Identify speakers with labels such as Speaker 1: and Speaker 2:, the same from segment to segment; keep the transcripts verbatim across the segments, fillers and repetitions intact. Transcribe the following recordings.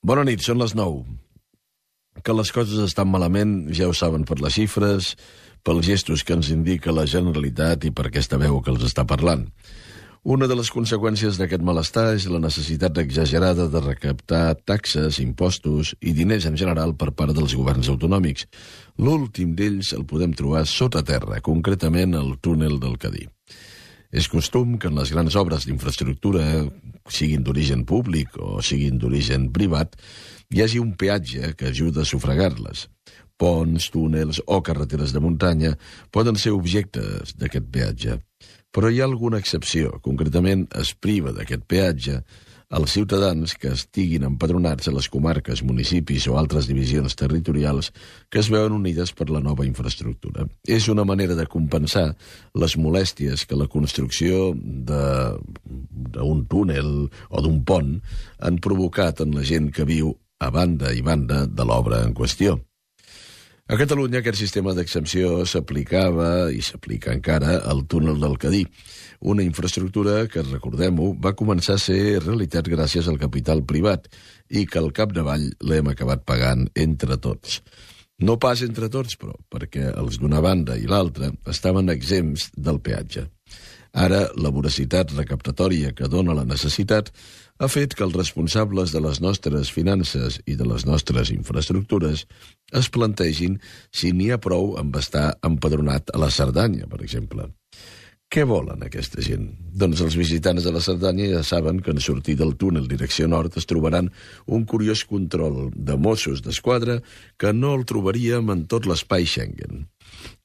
Speaker 1: Bona nit, són les nou. Que les coses estan malament, ja ho saben per les xifres, pels gestos que ens indica la Generalitat i per aquesta veu que els està parlant. Una de les conseqüències d'aquest malestar és la necessitat exagerada de recaptar taxes, impostos i diners en general per part dels governs autonòmics. L'últim d'ells el podem trobar sota terra, concretament al túnel del Cadí. És costum que en les grans obres d'infraestructura, siguin d'origen públic o siguin d'origen privat, hi hagi un peatge que ajuda a sufragar-les. Ponts, túnels o carreteres de muntanya poden ser objectes d'aquest peatge. Però hi ha alguna excepció. Concretament, es priva d'aquest peatge als ciutadans que estiguin empadronats a les comarques, municipis o altres divisions territorials que es veuen unides per la nova infraestructura. És una manera de compensar les molèsties que la construcció d'un túnel o d'un pont han provocat en la gent que viu a banda i banda de l'obra en qüestió. A Catalunya aquest sistema d'exempció s'aplicava i s'aplica encara al túnel del Cadí, una infraestructura que, recordem-ho, va començar a ser realitat gràcies al capital privat i que al capdavall l'hem acabat pagant entre tots. No pas entre tots, però, perquè els d'una banda i l'altra estaven exempts del peatge. Ara, la voracitat recaptatòria que dona la necessitat ha fet que els responsables de les nostres finances i de les nostres infraestructures es plantegin si n'hi ha prou amb estar empadronat a la Cerdanya, per exemple. Què volen aquesta gent? Doncs els visitants de la Cerdanya ja saben que en sortir del túnel direcció nord es trobaran un curiós control de Mossos d'Esquadra que no el trobaríem en tot l'espai Schengen.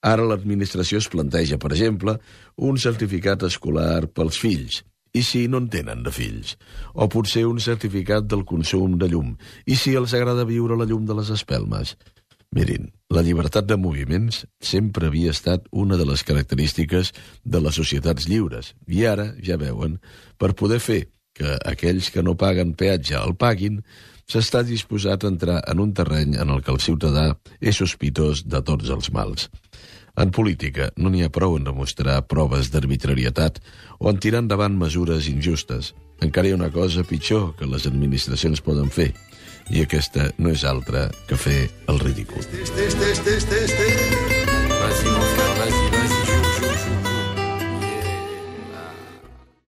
Speaker 1: Ara l'administració es planteja, per exemple, un certificat escolar pels fills, i si no en tenen de fills, o potser un certificat del consum de llum, i si els agrada viure la llum de les espelmes. Mirin, la llibertat de moviments sempre havia estat una de les característiques de les societats lliures, i ara, ja veuen, per poder fer que aquells que no paguen peatge el paguin, s'està disposat a entrar en un terreny en el que el ciutadà és sospitós de tots els mals. En política no n'hi ha prou en demostrar proves d'arbitrarietat o en tirar endavant mesures injustes. Encara hi ha una cosa pitjor que les administracions poden fer, i aquesta no és altra que fer el ridícul.
Speaker 2: Vas-y, mon frère, vas-y.